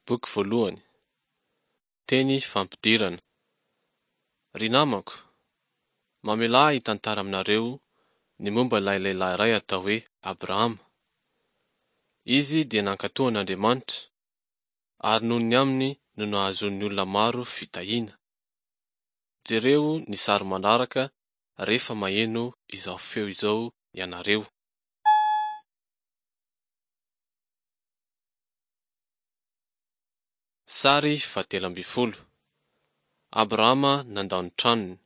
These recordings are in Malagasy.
Boky voalohany. Teny fampidirana. Ry namako, mamelà ahy hitantara aminareo ny momba ilay lehilahy iray atao hoe Abrahama. Izy dia nankatò an'Andriamanitra, ary noho ny aminy no nahazoan'ny olona maro fitahiana. Jereo ny sary manaraka rehefa maheno izao feo izao ianareo. Sary fahatelo ambin'ny folo. Abrahama nandao ny tranony.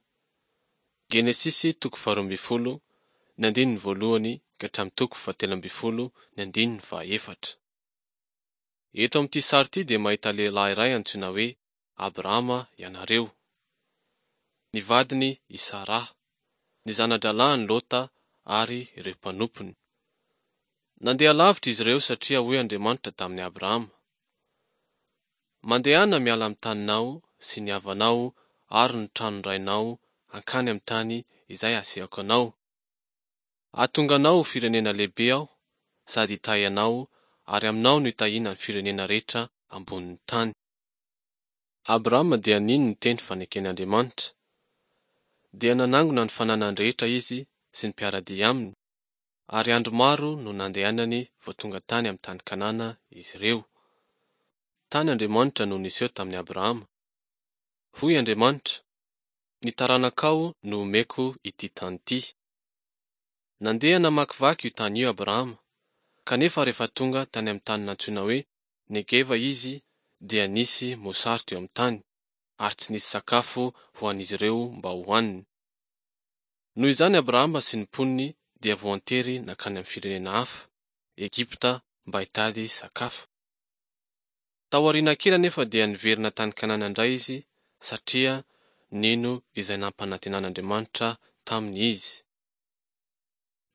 Genesisy toko faharoa ambin'ny folo, ny andininy voalohany ka hatramin'ny toko fahatelo ambin'ny folo ny andininy fahaefatra. Eto amin'ity sary ity dia mahita lehilahy iray antsoina hoe Abrahama ianareo. Ny vadiny i Saraha, ny zana-drahalahiny Lota ary ireo mpanompony. Nandeha lavitra izy ireo satria hoy Andriamanitra tamin'i Abrahama, Mandehana miala amin'ny taninao sy ny havanao ary ny tranon-drainao hankany amin'ny tany izay hasehoko anao. Hahatonga anao ho firenena lehibe Aho sady hitahy anao ary aminao no hitahiana ny firenena rehetra ambonin'ny tany. Abrahama dia nino ny teny faneken'Andriamanitra. Dia nanangona ny fananany rehetra izy sy ny mpiara-dia aminy, ary andro maro no nandehanany vao tonga tany amin'ny tany Kanana izy ireo. Tany Andriamanitra no niseho tamin'i Abrahama. Hoy Andriamanitra, Ny taranakao no homeko ity tany ity. Nandeha namakivaky io tany io Abrahama, kanefa rehefa tonga tany amin'ny tany nantsoina hoe Negeva izy dia nisy mosary teo amin'ny tany, ary tsy nisy sakafo ho an'izy ireo mba hohaniny. Noho izany Abrahama sy ny mponiny dia voantery nankany amin'ny firenena hafa, Egypta, mba hitady sakafo. Tao aoriana kely anefa dia niverina tany Kanana indray izy satria nino izay nampanantenan'Andriamanitra taminy izy.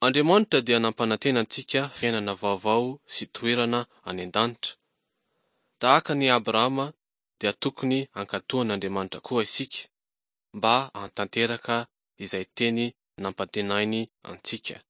Andriamanitra dia nampanantena antsika fiainana vaovao sy toerana any an-danitra. Tahaka an'i Abrahama dia tokony hankatò an'Andriamanitra koa isika mba hahatanteraka izay teny nampantenainy antsika.